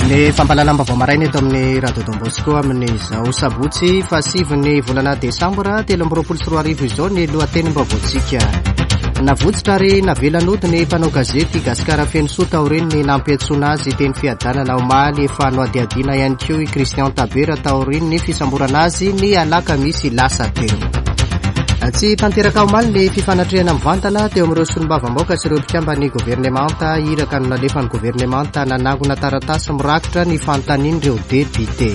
Ny fampahalalam-baovao maraina eto amin'ny Radio Don Bosco amin'izao sabotsy fahasivin'ny volana desambra 2023 izao ny lohatenim-baovaontsika. Navotsitra ary navela nody ny mpanao gazety Gasikara Fenosoa taorian'ny nampiantsoana azy teny Fiadanana omaly. Efa nohadihadiana ihany koa i Christian Tabera taorian'ny fisamborana azy ny alakamisy lasa teo. Tsy tanteraka omaly ny fifanatrehana mivantana teo amin'ireo solombavambahoaka sy ireo mpikamban'ny governemanta. Iraka no nalefan'ny governemanta nanangona taratasy mirakitra ny fanontanian'ireo depiote.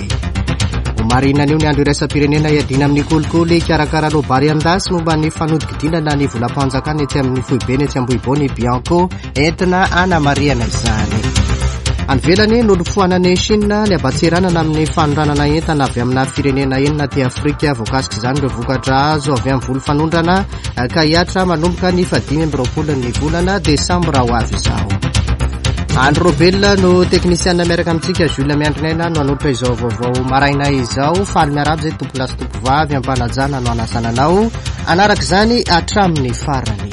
Homarihina anio ny andro iraisam-pirenena hiadiana amin'ny kolikoly. Hikarakara loabary an-dasy momba ny fanodikidinana ny volam-panjakana etsy amin'ny foibeny etsy Ambohibao ny Bianco entina hanamarihana izany. Any ivelany, nolofoanan'i Chine ny haban-tseranana amin'ny fanondranana entana avy amina firenena enina aty Afrika. Voakasik'izany ireo vokatra azo avy amin'ny voly fanondrana ka hihatra manomboka ny fahadimy amby roapolo ny volana desambra ho avy izao. Andry Robel no teknisiana miaraka amintsika, Jules Miandrinaina no hanolotra izao vaovao maraina izao. Faly miarahaba izay tompolahy sy tompovavy ampanajana no hanasana anao hanaraka izany hatramin'ny farany.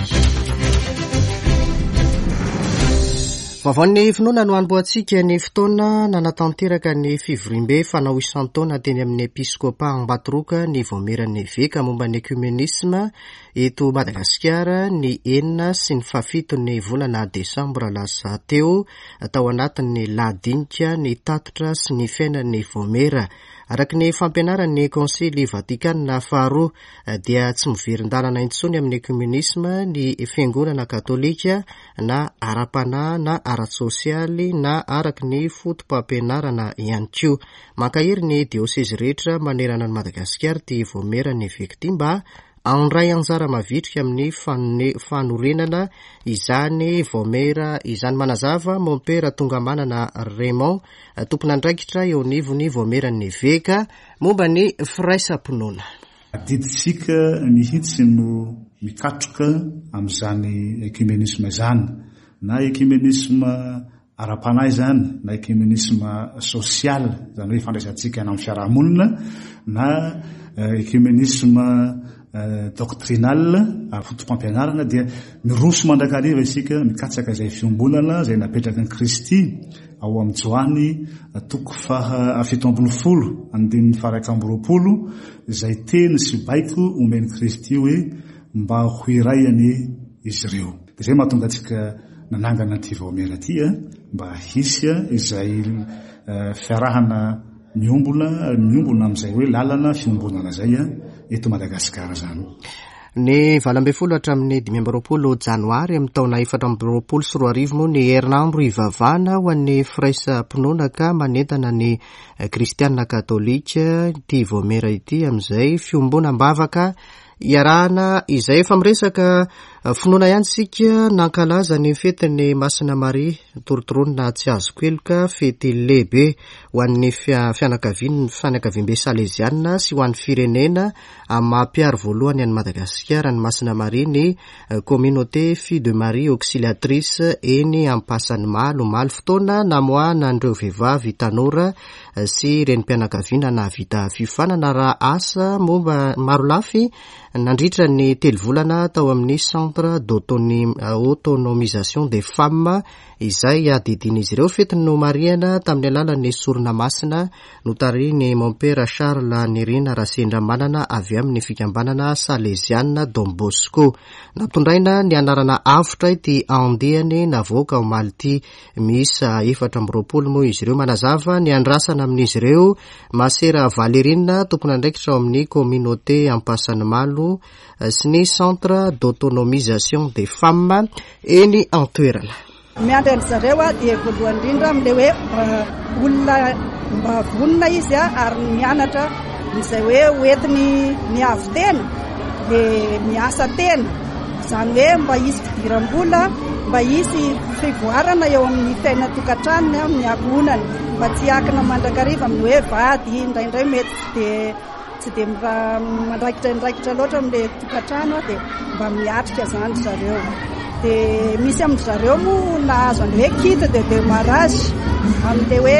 Vaovaon'ny finoana no hanombohantsika ny fotoana nanatanteraka ny fivoriambe fanao isan-taona teny amin'ny Episkopa Ambatoroka ny Vaomieran'ny Eveka momba ny Ekumenisma eto Madagasikara ny enina sy ny fahafiton'ny volana desambra lasa teo tao anatin'ny lahadinika ny tatitra sy ny fiainan'ny Vaomiera. Araka ny fampianaran'ny Konsily Vatikana faharoa dia tsy miverin-dalana intsony amin'ny ekumenisma ny Fiangonana Katolika na ara-panahy na ara-tsosialy na araka ny fotopampianarana ihany koa. Mankahery ny diosezy rehetra manerana an'i Madagasikara ity Vaomieran'ny Eveka ity mba handray anjara mavitrika amin'ny fanorenana izany vaomiera izany. Manazava Mompera Tongamanana Raymond, tompon'andraikitra eo anivon'ny Vaomieran'ny Eveka momba ny firaisam-pinoana. Adidintsika mihitsy no mikatroka amin'izany ecumenisme izany, na ecumenisme ara-panahy izany, na ecumenisme social, izany hoe ifandraisantsika any amin'ny fiarahamonina, na ecumenisme doctrinal, ara-potopampianarana, dia miroso mandrakariva isika mikatsaka izay fiombonana izay napetraky ny Kristy Ao amin'ny Joany toko faha 17 andininy faha 21 izay teny sy baiko omen'i Kristy hoe mba ho iray anie izy ireo. Dia izay mahatonga antsika nanangana an'ity vaomiera ity mba hisy izay fiarahana miombona miombona amin'izay hoe lalana fiombonana izay eto Madagasikara izany. Ny 18 hatramin'ny 25 janoary amin'ny taona 2024 moa ny herinandro hivavahana ho an'ny firaisam-pinoana ka manentana ny kristiana katolika ity vaomiera ity amin'izay fiombonam-bavaka iarahana izay. Efa miresaka finoana ihany isika, nankalaza ny fetin'ny Masina Maria Torontoronina tsy azoko heloka, fety lehibe ho an'ny fianakavian'ny fianakaviambe saleziana sy ho an'ny firenena Amin'ny maha mpiaro voalohany an'i Madagasikara an'i Masina Maria ny Communauté Fille de Marie Auxiliatrice eny Ampasanimalo omaly, fotoana namoahana an'ireo vehivavy tanora sy renim-pianakaviana nahavita fiofanana raha asa momba marolafy nandritra ny telo volana tao amin'ny Centre d'autonomisation des femmes izay adidian'izy ireo. Fety nomarihana tamin'ny alalan'ny sorona masina Notarihin'i Mompera Charles Nirina Rasendramanana avy amin'ny fikambanana Saleziana Don Bosco. Nampitondraina ny anarana Avotra ity andiany navoaka omaly ity. Miisa 24 moa izy ireo. Manazava ny andrasana amin'izy ireo Masera Valerine, tompon'andraikitra ao amin'ny Communauté Ampasanimalo sy ny Centre d'autonomisation des femmes eny an-toerana. Miandry an-dry zareo aho dia voalohany indrindra amin'ilay hoe olona mba vonona izy ary mianatra izay hoe hoentiny miavo-tena dia miasa tena, izany hoe mba hisy fidiram-bola, mba hisy fivoarana eo amin'ny fiainan-tokantranony, amin'ny ankohonany, mba tsy hiankina mandrakariva amin'ny hoe vady, indraindray mety tsy dia Tsy dia mandraikitra andraikitra loatra amin'ilay tokantrano aho dia mba miatrika izany ry zareo. Dia misy amin-dry zareo moa nahazo an'ilay hoe kit de démarrage amin'ilay hoe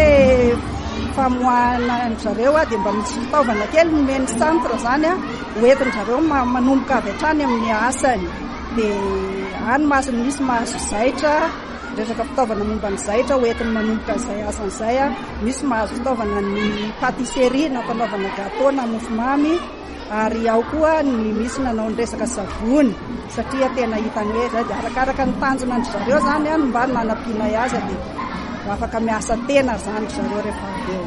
famoahana an-dry zareo dia mba misy fitaovana kely nomen'ny centre izany hoentin-dry zareo manomboka avy hatrany amin'ny asany. Dia any mahazo misy mahazo zaitra. resaka fitaovana momba ny zaitra ho entiny manomboka izay asany izay, misy mahazo fitaovana ny pâtisserie na fanaovana gâteau na mofomamy ary ao koa ny misy nanao ny resaka savony satria tena hitany hoe izay dia arakaraka ny tanjona an-dry zareo izany no mba nanampianay azy dia ho afaka miasa tena izany ry zareo rehefa avy eo.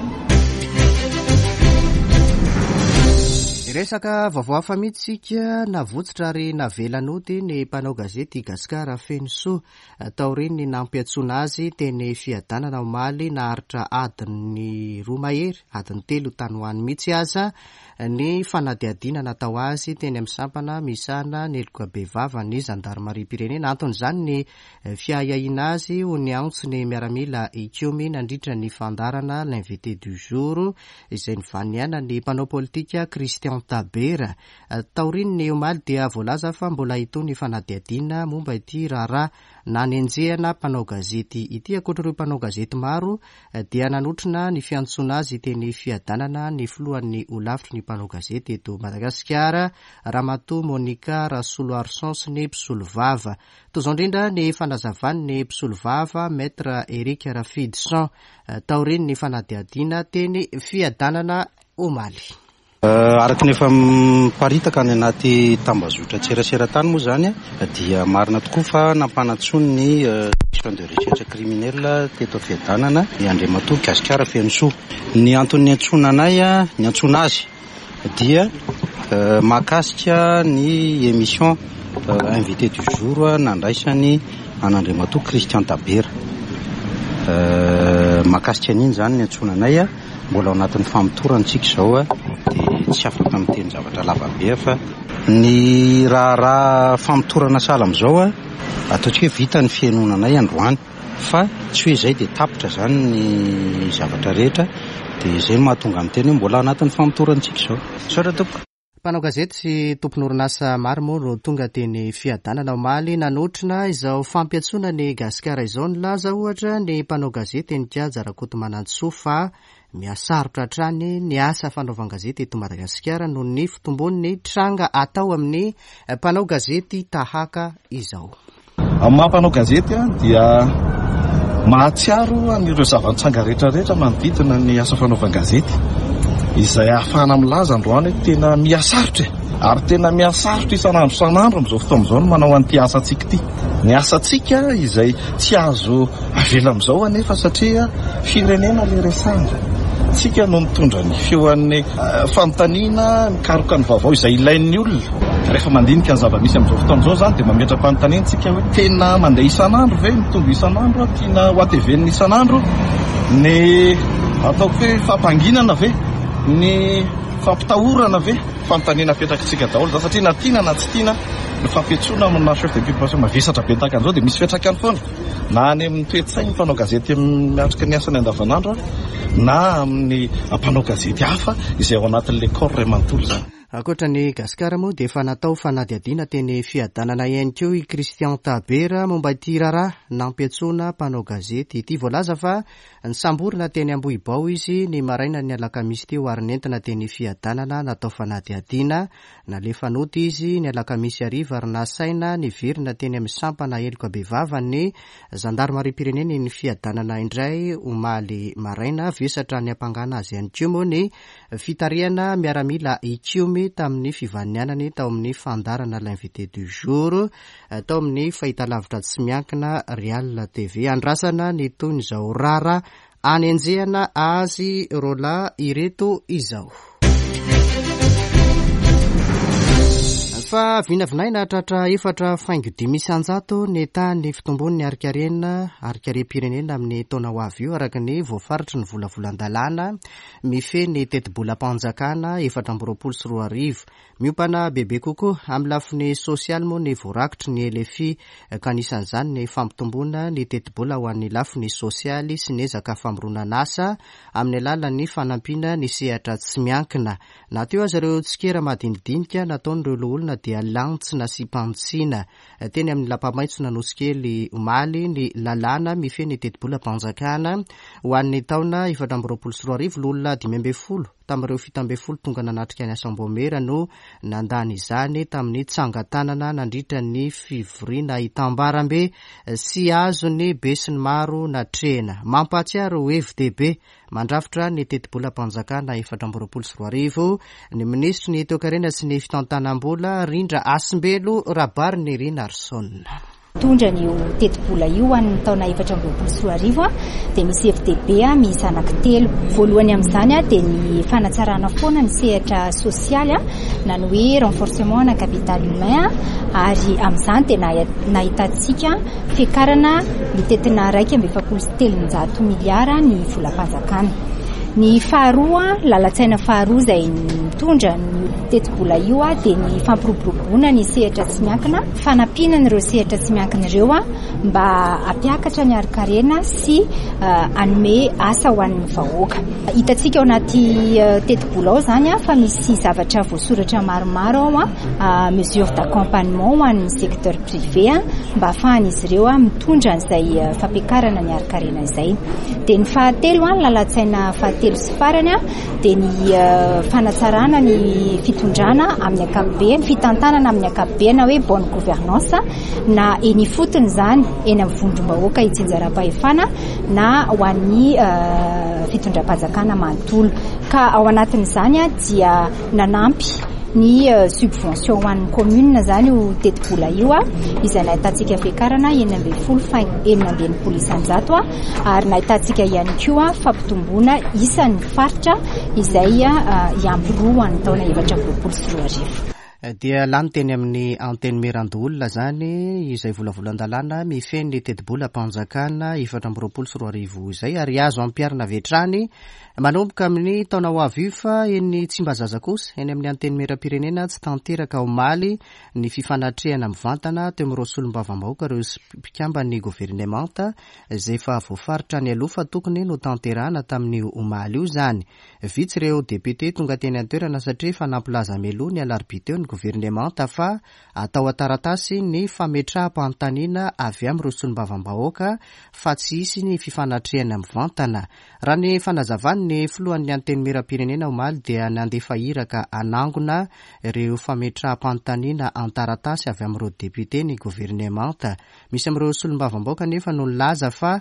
Resaka vaovao hafa mihitsy isika, navotsitra ary navela nody ny mpanao gazety Gascar Fenosoa taorian'ny nampiantsoana azy teny Fiadanana omaly naharitra adiny roa mahery, adiny telo tany ho any mihitsy aza ny fanadihadiana natao azy teny amin'ny sampana misahana ny heloka bevava ny zandarimariam-pirenena. Anton'izany ny fiahiahiana azy ho niantso ny miaramila hikomy nandritra ny fandaharana L'invité du jour izay nivanianan'ny mpanao politika Christian Tabera. Taorian'ny omaly dia voalaza fa mbola hitohy ny fanadihadiana momba ity raharaha nanenjehana mpanao gazety ity. Ankoatra ireo mpanao gazety maro dia nanotrona ny fiantsoana azy teny Fiadanana ny filohan'ny holafitry ny mpanao gazety eto Madagasikara, Ramatoa Monica Rasoloarison sy ny mpisolovava. Toy izao indrindra ny fanazavan'ny mpisolovava Maître Eric Rafidison taorian'ny fanadihadiana teny Fiadanana omaly. Araka ny efa miparitaka any anaty tambazotran-tserasera tany moa izany dia marina tokoa fa nampanantsoin'ny Section de recherche criminelle teto Fiadanana i Andriamatoa Gasikara Fenosoa. Ny antony niantsoana anay, niantsoana azy dia mahakasika ny émission invité du jour nandraisany an'Andriamatoa Christian Tabera. Mahakasika an'iny izany niantsoana anay. Mbola ao anatin'ny famotorana isika izao dia tsy afaka miteny zavatra lava be aho fa ny raharaha famotorana sahala amin'izao ataontsika hoe vita ny fihainoana anay androany fa tsy hoe izay dia tapitra izany ny zavatra rehetra dia izay no mahatonga miteny hoe mbola anatin'ny famotorana isika izao. Misaotra tompoko. Mpanao gazety sy tompon'orinasa maro moa no tonga teny Fiadanana omaly nanotrona izao fampiantsoana ny Gasikara izao. Nilaza ohatra ny mpanao gazety Heninkaja Rakotomanantsoa fa mihasarotra hatrany ny asa fanaovan-gazety eto Madagasikara noho ny fitombon'ny tranga atao amin'ny mpanao gazety tahaka izao. Amin'ny maha mpanao gazety ahy dia mahatsiaro an'ireo zava-nitranga rehetra rehetra manodidina ny asa fanaovan-gazety izay ahafahana milaza androany hoe tena mihasarotra e! Ary tena mihasarotra isan'andro isan'andro amin'izao fotoana izao ny manao an'ity asantsika ity. Ny asantsika izay tsy azo avela amin'izao anefa satria firenena ilay resahana. Tsika no mitondra ny feon'ny fanontaniana, mikaroka ny vaovao izay ilain'ny olona. Rehefa mandinika ny zava-misy amin'izao fotoana izao izany dia mametra-panontaniana tsika hoe tena mandeha isan'andro ve, mitombo isan'andro, tiana ho atevenina isan'andro ny ataoko hoe fampanginana ve, ny fampitahorana ve? Fanontaniana apetrakitsika daholo izany satria na tiana na tsy tiana ny fampiantsoana amina chef d'inculpation mavesatra be tahaka an'izao dia misy fiantraikany foana. Na any amin'ny toe-tsain'ny mpanao gazety miatrika ny asany andavanandro na amin'ny mpanao gazety hafa izay ao anatin'ilay corps iray manontolo izany. Ankoatra an'i Gasikara moa dia efa natao fanadihadiana teny Fiadanana ihany koa i Christian Tabera momba ity raharaha nampiantsoana mpanao gazety ity. Voalaza fa nisamborina teny Ambohibao izy ny marainan'ny alakamisy teo ary nentina teny Fiadanana natao fanadihadiana. Nalefa nody izy ny alakamisy hariva ary nasaina niverina teny amin'ny sampana heloka bevava ny zandarimariam-pirenena eny Fiadanana indray omaly maraina. Vesatra niampangana azy ihany koa moa ny fitarihana miaramila hikomy tamin'ny fivaninianany tao amin'ny fandaharana L'invité du jour tao amin'ny fahitalavitra tsy miankina Real TV. Andrasana ny tohin'izao raharaha Anenjehana azy roalahy ireto izao. Fa vinavinaina hatratra 4.5% ny tahan'ny fitombon'ny harikarena harikarem-pirenena amin'ny taona ho avy io araka ny voafaritry ny volavolan-dalàna mifehy ny tetibolam-panjakana 2024. Miompana bebe kokoa amin'ny lafiny sosialy moa ny voarakitry ny LFI ka anisan'izany ny fampitomboana ny tetibola ho an'ny lafiny sosialy sy ny ezaka famoronan'asa amin'ny alalan'ny fanampiana ny sehatra tsy miankina. Na teo aza ireo tsikera madinidinika nataon'ireo loholona dia lany tsy nasiam-panitsiana teny amin'ny Lapamaitson'Anosikely omaly ny lalàna mifehy ny tetibolam-panjakana ho an'ny taona 2024, loholona 15. tamin'ireo 17 tonga nanatrika ny asam-baomiera no nandany izany tamin'ny tsangan-tanana nandritra ny fivoriana hitambarambe sy azon'ny besinimaro natrehina. Mampahatsiaro hevi-dehibe mandrafitra ny tetibolam-panjakana 2024 ny minisitry ny Toekarena sy ny Fitantanam-bola, Rindra Hasimbelo Rabarinirina Arson. Mitondra an'io tetibola io ho an'ny taona 2024 dia misy hevi-dehibe miisa anankitelo. Voalohany amin'izany dia ny fanatsarana foana ny sehatra sosialy na ny hoe renforcement ana capital humain ary amin'izany dia nahitantsika fiakarana mitentina 341 miliara ny volam-panjakana. Ny faharoa, lalan-tsaina faharoa izay mitondra an'io tetibola io dia ny fampiroboroboana ny sehatra tsy miankina. Fanampiana an'ireo sehatra tsy miankina ireo mba hampiakatra ny harin-karena sy hanome asa ho an'ny vahoaka. Hitantsika ao anaty tetibola ao izany fa misy zavatra voasoratra maromaro ao, mesures d'accompagnement ho an'ny secteur privé mba hahafahan'izy ireo mitondra an'izay fampiakarana ny harin-karena izay. Dia ny fahatelo, ny lalan-tsaina fahatelo sy farany dia ny fanatsarana ny fitondrana amin'ny ankapobeny, fitantanana amin'ny ankapobeny na hoe bonne gouvernance na eny ifotony izany, eny amin'ny vondrom-bahoaka itsinjaram-pahefana na ho an'ny fitondram-panjakana manontolo. Ka ao anatin'izany dia nanampy ny subvention ho an'ny commune izany io tetibola io, izay nahitantsika fiakarana 16 faingo 66 isan-jato. ary nahitantsika ihany koa fampitomboana isan'ny faritra izay hiampy roa ho an'ny taona 2024. Dia lany teny amin'ny Antenimierandoholona izany izay volavolan-dalàna mifehy ny tetibolam-panjakana 2024 izay ary azo ampiharina avy hatrany manomboka amin'ny taona ho avy io fa eny Tsimbazaza kosa eny amin'ny Antenimierampirenena tsy tanteraka omaly ny fifanatrehana mivantana teo amin'ireo solombavambahoaka ireo mpikamban'ny governemanta izay efa voafaritra nialoha fa tokony notanterahana tamin'io omaly io izany. Vitsy ireo depiote tonga teny an-toerana satria efa nampilaza mialoha ny alarobia teo ny governemanta fa atao an-taratasy ny fametraham-panontaniana avy amin'ireo solombavambahoaka fa tsy hisy ny fifanatrehana mivantana. Raha ny fanazavan'ny filohan'ny Antenimierampirenena omaly dia nandefa iraka hanangona ireo fametraham-panontaniana an-taratasy avy amin'ireo depiote ny governemanta. Misy amin'ireo solombavambaoka anefa no nilaza fa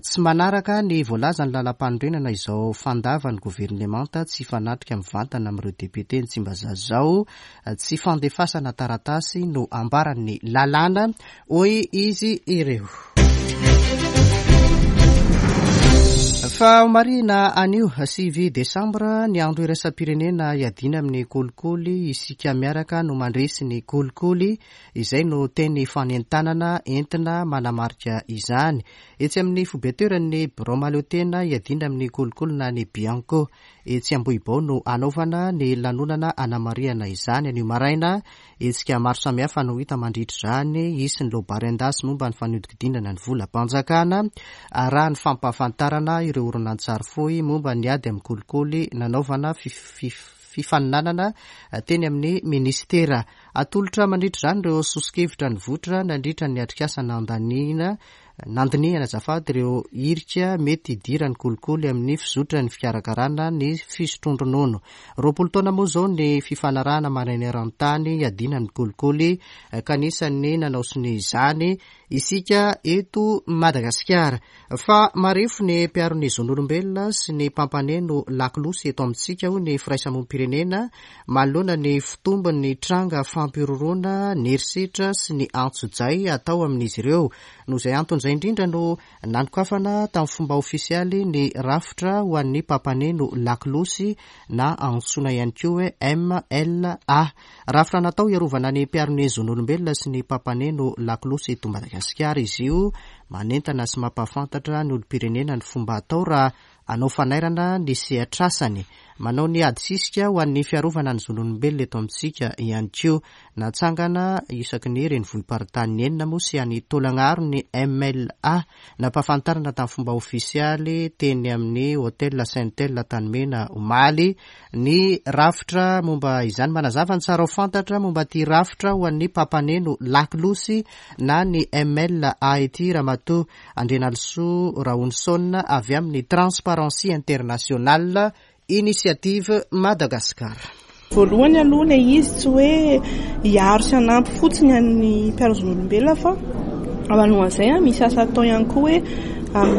tsy manaraka ny voalazan'ny lalampanorenana izao fandavan'ny governemanta tsy hifanatrika mivantana amin'ireo depiote ny Tsimbazaza izao. Tsy fandefasana taratasy no ambaran'ny lalàna, hoy izy ireo. Fa homarihina anio 9 desambra ny andro iraisam-pirenena hiadiana amin'ny kolikoly, isika miaraka no mandresy ny kolikoly, izay no teny fanentanana entina manamarika izany. Etsy amin'ny foiben-toeran'ny birao mahaleotena hiadiana amin'ny kolikoly na ny Bianco etsy Ambohibao no hanaovana ny lanonana hanamarihana izany anio maraina. Hetsika maro samihafa no hita mandritra izany, hisy ny loabary an-dasy momba ny fanodinkodinana ny volam-panjakana, arahan'ny fampahafantarana ireo horonantsary fohy momba ny ady amin'ny kolikoly nanaovana fifaninanana teny amin'ny minisitera. Atolotra mandritra izany ireo soso-kevitra nivoitra nandritra ny atrikasa nandaniana Nandinihana azafady ireo hirika mety hidiran'ny kolikoly amin'ny fizotran'ny fikarakarana ny fisotroan-dronono. 20 taona moa izao ny fifanarahana maneran-tany hiadiana amin'ny kolikoly ka anisan'ny nanao sonia izany isika eto Madagasikara. Fa marefo ny mpiaro ny zon'olombelona sy ny mpampaneno lakolosy eto amintsika hoy ny firaisamonim-pirenena manoloana ny fitombon'ny tranga fampihorohoroana, ny herisetra sy ny antsojay atao amin'izy ireo. Noho izay antony izay indrindra no nanokafana tamin'ny fomba ofisialy ny rafitra ho an'ny mpampaneno lakolosy na antsoina ihany koa hoe MLA. Rafitra natao hiarovana ny mpiaro ny zon'olombelona sy ny mpampaneno lakolosy eto Madagasikara izy io. Manentana sy mampahafantatra ny olom-pirenena ny fomba atao raha Hanao fanairana ny sehatr'asany. Manao ny ady sisika ho an'ny fiarovana ny zon'olombelona eto amintsika ihany koa. Natsangana isaky ny renivohi-paritany enina moa sy any Taolagnaro ny MLA. Nampahafantarina tamin'ny fomba ofisialy teny amin'ny Hotel Saintel Antanimena omaly ny rafitra momba izany. Manazava ny tsara ho fantatra momba ity rafitra ho an'ny mpampaneno lakolosy na ny MLA ity Ramatoa Andrianalisoa Rahonison avy amin'ny Transparency International. Initiative Madagascar. Voalohany aloha ilay izy tsy hoe hiaro sy hanampy fotsiny an'ny mpiaro zon'olombelona fa alohan'izay misy asa atao ihany koa hoe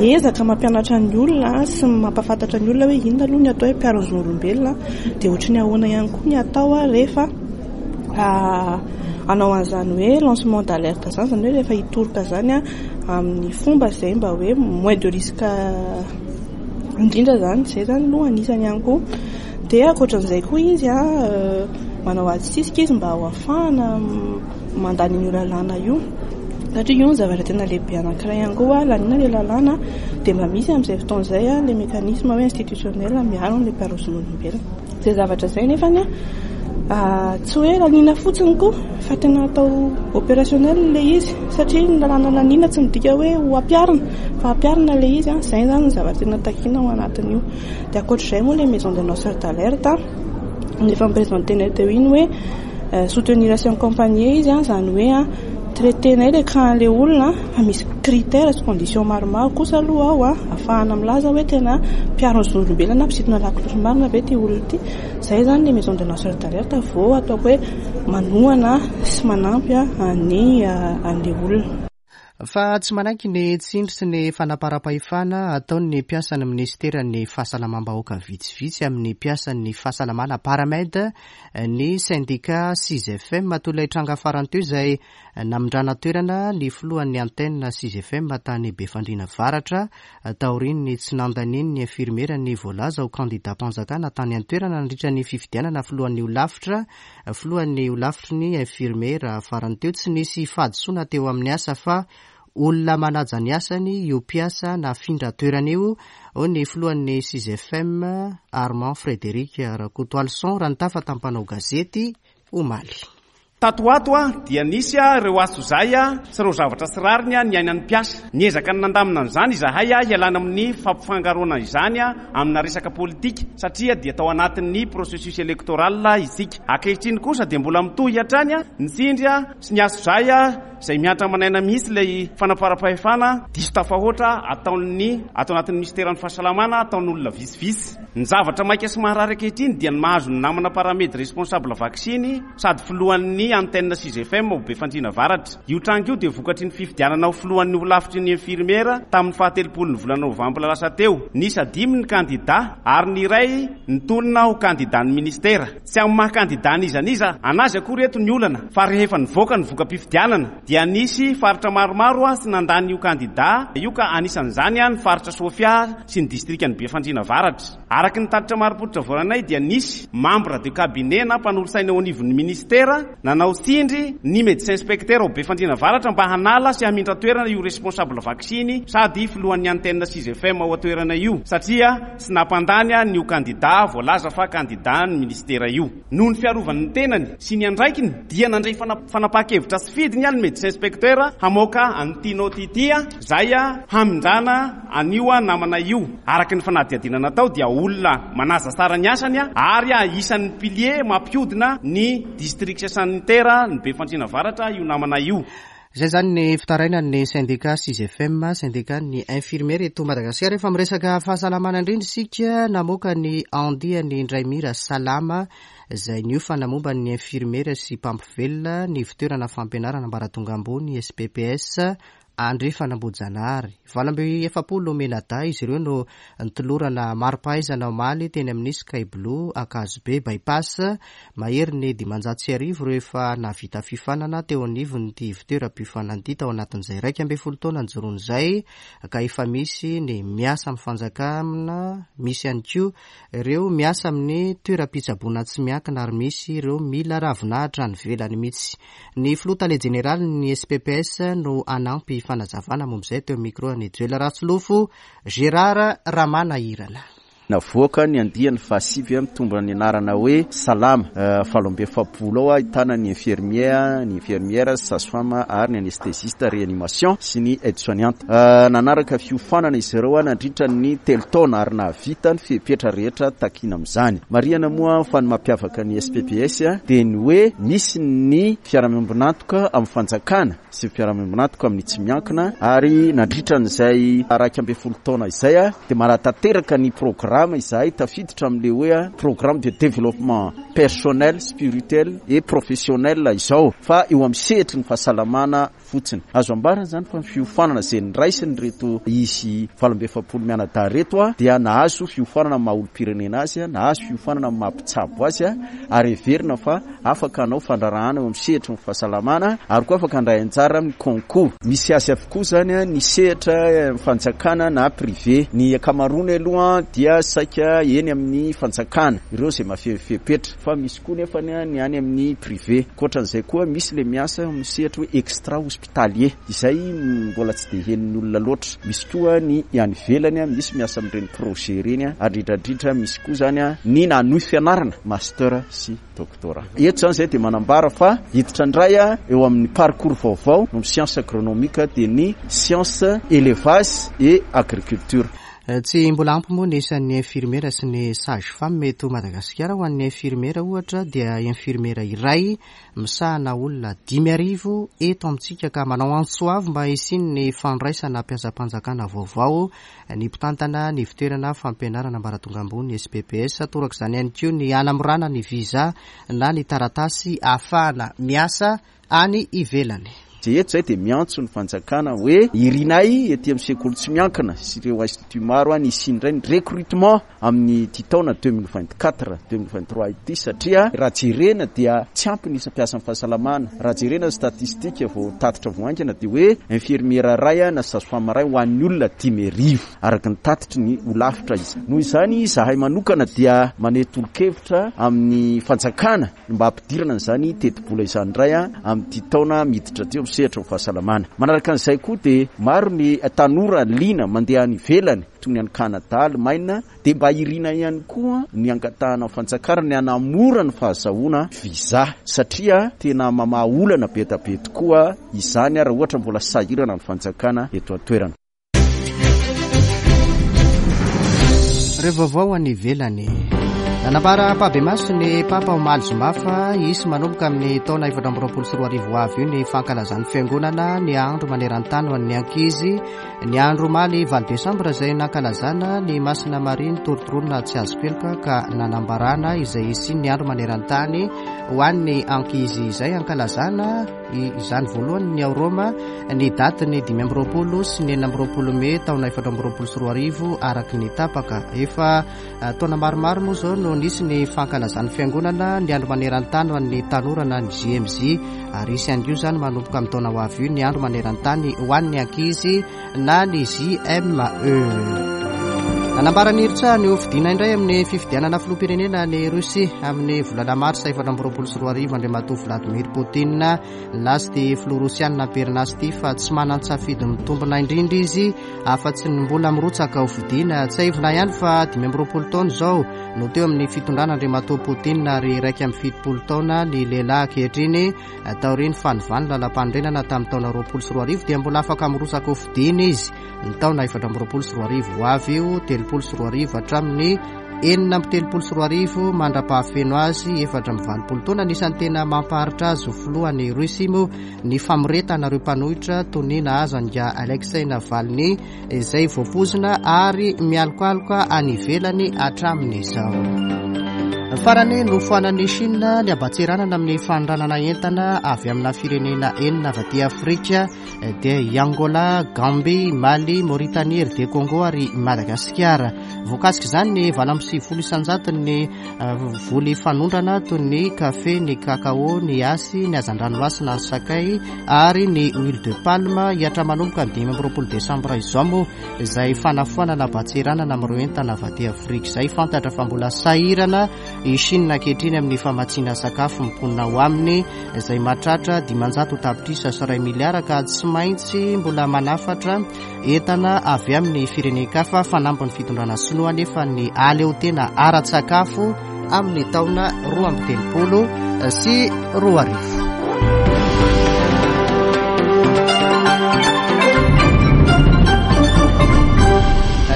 miezaka mampianatra ny olona sy mampahafantatra ny olona hoe inona aloha ny atao hoe mpiaro zon'olombelona dia ohatry ny ahoana ihany koa ny atao rehefa hanao an'izany hoe lancement d'alerte izany, izany hoe rehefa hitoroka izany amin'ny fomba izay mba hoe moins de risque indrindra izany, izay izany aloha anisany ihany koa. Dia ankoatran'izay koa izy manao ady sisika izy mba ho afahana mandany an'io lalàna io. Satria io no zavatra tena lehibe anankiray ihany koa, laniana ilay lalàna dia mba misy amin'izay fotoana izay ilay mécanisme hoe institutionnel miaro an'ilay mpiaro zon'olombelona. Izay zavatra izay nefany tsy hoe laniana fotsiny koa fa tena atao opérationnel ilay izy satria ny lalàna laniana tsy midika hoe ho ampiharina fa ampiharina ilay izy, izay izany no zavatra tena takiana ao anatin'io. Dia ankoatr'izay moa ilay maison de lanceur d'alerte efa ni-présenter-nay teo iny hoe soutenir sy accompagner izy, izany hoe traiter-nay ilay cas an'ilay olona fa misy critère sy condition maromaro kosa aloha ao ahafahana milaza hoe tena mpiaro ny zon'olombelona na mpisintona lakolosy marina ve ity olona ity. Izay izany ilay maison de lanceur d'alerte vao ataoko hoe manohana sy manampy an'ny an'ilay olona. Fa tsy manaiky ny tsindry sy ny fanaparam-pahefana ataon'ny mpiasan'ny minisiteran'ny Fahasalamam-bahoaka vitsivitsy amin'ny mpiasan'ny fahasalamana Paramed ny sendika Sisfm toy ilay tranga farany teo izay namindrana toerana ny filohan'ny antenne Sisfm tany Befandriana Avaratra taorian'ny tsy nandanian'ny infirmiera ny voalaza ho kandidam-panjakana tany an-toerana nandritra ny fifidianana filohan'ny holafitra Filohan'ny holafitry ny infirmiera farany teo, tsy nisy fahadisoana teo amin'ny asa fa olona manaja ny asany io mpiasa nafindra toerana io, hoy ny filohan'ny Sisfm, Armand Frédéric Rakotoalison, raha nitafa tamin'ny mpanao gazety omaly. Tato ho ato dia nisy ireo antsojay sy ireo zavatra tsy rariny niainan'ny mpiasa. Niezaka ny nandamina an'izany izahay hialana amin'ny fampifangaroana izany amina resaka politika satria dia tao anatin'ny processus électoral isika. Ankehitriny kosa dia mbola mitohy hatrany ny tsindry sy ny antsojay izay mihatra aman'aina mihitsy ilay fanaparam-pahefana diso tafahoatra ataon'ny ato anatin'ny minisiteran'ny fahasalamana ataon'olona vitsivitsy. Ny zavatra maika sy maharary ankehitriny dia ny mahazo ny namana paramed responsable vaksiny sady filohan'ny antenne 6FM ao Befandriana Avaratra. Io tranga io dia vokatry ny fifidianana ho filohan'ny holafitry ny infirmiera tamin'ny fahatelopolon'ny volana novambra lasa teo. Niisa dimy ny kandidà ary ny iray nitolona ho kandidàn'ny minisitera. Tsy amin'ny maha kandidà an'iza n'iza an'azy akory eto ny olana fa rehefa nivoaka ny voka-pifidianana dia nisy faritra maromaro tsy nandany io kandidà io ka anisan'izany ny faritra Sofia sy ny distrikan'i Befandriana Avaratra. Araka ny tatitra marim-pototra voaranay dia nisy membre de cabinet na mpanolotsaina eo anivon'ny minisitera nanao tsindry ny médecin inspecteur ao Befandriana Avaratra mba hanala sy hamindra toerana io responsable vaksiny sady filohan'ny antenne 6FM ao an-toerana io satria tsy nampandany an'io kandida voalaza fa kandidan'ny minisitera io. Noho ny fiarovany ny tenany sy ny andraikiny dia nandray fanapahan-kevitra sy fidiny ny médecin inspecteur hamoaka an'ity note ity izay hamindrana an'io namana io. Araka ny fanadihadiana natao dia olona manaja tsara ny asany ary isan'ny pilier mampihodina ny district sanitaire ny Befandriana Avaratra io namana io. Izay izany ny fitarainan'ny sendika Sisfm, sendikan'ny infirmiera eto Madagasikara. Efa miresaka fahasalamana indrindra isika, namoaka ny andiany indray mira salama izay niofana momba ny infirmiera sy mpampivelona ny ivontoerana fampianarana ambaratonga ambony SPPS Andrefan'Ambohijanahary. 48 mianadahy izy ireo no nitolorana mari-pahaizana omaly teny amin'ny Sky Blue Ankazobe Bypass. Mahery ny 1500 ireo efa nahavita fiofanana teo anivon'ity ivontoeram-piofanana ity tao anatin'izay 11 taona nijoroany izay ka efa misy ny miasa amin'ny fanjakana, misy ihany koa Ireo miasa amin'ny toeram-pitsaboana tsy miankina ary misy ireo mila ravinahitra any ivelany mihitsy. Ny filoha tale jeneralin'ny SPPS no hanampy fanazavana momba izay teo amin'ny micro an'i Joel Rasolofo Gérard Ramanahirana. Navoaka ny andiany fahasivy mitondra ny anarana hoe Salama 48 ao ahitana ny infirmier, ny infirmière, sage-femme ary ny anesthésiste réanimation sy ny aide soignante. Nanaraka fiofanana izy ireo nandritra ny telo taona ary nahavita ny fepetra rehetra takina amin'izany. Marihana moa fa ny mampiavaka ny SPPS dia ny hoe misy ny fiara-miombon'antoka amin'ny fanjakana sy ny fiara-miombon'antoka amin'ny tsy miankina ary nandritra an'izay 11 taona izay dia manatanteraka ny programa. programa izahay tafiditra amin'ilay hoe programme de développement personnel, spirituel et professionnel izao fa eo amin'ny sehatry ny fahasalamana fotsiny. Azo ambara izany fa ny fiofanana izay niraisin'ireto izy 48 mianadahy ireto dia nahazo fiofanana amin'ny maha olom-pirenena azy, nahazo fiofanana amin'ny maha mpitsabo azy ary heverina fa afaka hanao fandraharahana eo amin'ny sehatry ny fahasalamana ary koa afaka handray anjara amin'ny concours. Misy azy avokoa izany ny sehatra fanjakana na privé. Ny ankamaroany aloha dia saika eny amin'ny fanjakana, ireo izay mahafehy fepetra fa misy koa nefa ny any amin'ny privé. Ankoatran'izay koa misy ilay miasa amin'ny sehatra hoe extra hospitalier izay mbola tsy dia henon'ny olona loatra. Misy koa ny any ivelany, misy miasa amin'ireny projet ireny ary indrindra indrindra misy koa izany ny nanohy fianarana master sy doctorat. Eto izany izay dia manambara fa hiditra indray eo amin'ny parcours vaovao amin'ny science agronomique dia ny science élevage et agriculture. Tsy mbola ampy moa ny isan'ny infirmiera sy ny sage femme eto Madagasikara. Ho an'ny infirmiera ohatra dia infirmiera iray misahana olona 5000 eto amintsika ka manao antso avo mba hisian'ny fandraisana mpiasam-panjakana vaovao ny mpitantana ny ivontoerana fampianarana ambaratonga ambony SPPS. Torak'izany ihany koa ny hanamorana ny visa na ny taratasy ahafahana miasa any ivelany. Dia eto izay dia miantso ny fanjakana hoe irinay ety amin'ny sekoly tsy miankina sy ireo institut maro any hisian'ny indray ny recrutement amin'ity taona 2024, 2023 ity satria raha jerena dia tsy ampy ny isa mpiasan'ny fahasalamana. Raha jerena ny statistique vao tatitra vao haingana dia hoe infirmiera iray na sage femme iray ho an'ny olona 5000 araka ny tatitry ny holafitra izy. Noho izany izahay manokana dia maneho tolo-kevitra amin'ny fanjakana ny mba hampidirana an'izany tetibola izany indray amin'ity taona miditra ity eo amin'ny sehatra ny fahasalamana. Manaraka an'izay koa dia maro ny tanora liana mandeha any ivelany toy ny any Canada, Alemaina, dia mba irina ihany koa ny hangatahana amin'ny fanjakana ny hanamora ny fahazahoana visa satria tena mamaha olana be dia be tokoa izany raha ohatra mbola sahirana ny fanjakana eto an-toerana. Ireo vaovao any ivelany. Nanambara ampahibemaso ny Papa omaly zoma fa hisy manomboka amin'ny taona 2024 ho avy io ny fankalazan'ny Fiangonana ny andro maneran-tany ho an'ny ankizy. Ny andro omaly 8 desambra izay nankalazana ny Masina Maria nitorontoronina tsy azo keloka ka nanambarana izay hisian'ny andro maneran-tany ho an'ny ankizy izay ankalazana izany voalohany ny ao Roma ny datin'ny 25 sy ny 26 mey taona 2024 araka ny tapaka. Efa eh, taona maromaro moa izao no nisy ny fankalazan'ny fiangonana ny andro maneran-tany ho an'ny tanora na ny JMJ ary hisy ihany koa izany manomboka amin'ny taona ho avy io ny andro maneran-tany ho an'ny ankizy na ny JME. Nanambara ny hirotsahany ho fidiana indray amin'ny fifidianana filoham-pirenena any Russie amin'ny volana marsa 2024 Andriamatoa Vladimir Poutine. Nilaza ity filoha rosianina am-perinasa ity fa tsy manan-tsafidy mitombina indrindra izy afa-tsy ny mbola mirotsaka ho fidiana. Tsiahivina ihany fa 25 taona izao no teo amin'ny fitondrana Andriamatoa Poutine ary 71 taona ny lehilahy ankehitriny. Taorian'ny fanovany lalàmpanorenana tamin'ny taona 2020 dia mbola afaka mirotsaka ho fidiana izy ny taona 2024 ho avy io, 2030 hatramin'ny 2036 mandra-pahafeno azy 84 taona. Anisan'ny tena mampaharitra azy ho filohan'i Russie moa ny famoretana ireo mpanohitra toy ny nahazo an'i Alexei Navalny izay voapoizina ary mialokaloka any ivelany hatramin'izao. Farany, nofoanan'i Chine ny haban-tseranana amin'ny fanondranana entana avy amina firenena enina avy aty Afrika dia i Angola, Gambie, Mali, Mauritanie, RD Congo ary Madagasikara. Voakasik'izany ny 98 isan-jaton'ny voly fanondrana toy ny kafe, ny kakao, ny asy, ny hazandranomasina, ny sakay ary ny huile de palme. Hihatra manomboka ny 25 desambra izao moa izay fanafoanana haban-tseranana amin'ireo entana avy aty Afrika izay. Fantatra fa mbola sahirana i Chine ankehitriny amin'ny famatsiana sakafo ny mponina ao aminy izay mahatratra 500 tapitrisa sy iray miliara ka tsy maintsy mbola manafatra Entana avy amin'ny firenen-kafa fanampin'ny fitondrana sinoa anefa ny aleotena ara-tsakafo amin'ny taona 2032.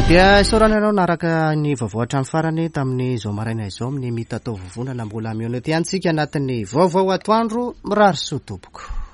Dia isaorana ianao naraka ny vaovao hatramin'ny farany tamin'izao maraina izao amin'ny mitatao vovonana mbola mihaona ety antsika anatin'ny vaovao atoandro mirary soa tompoko.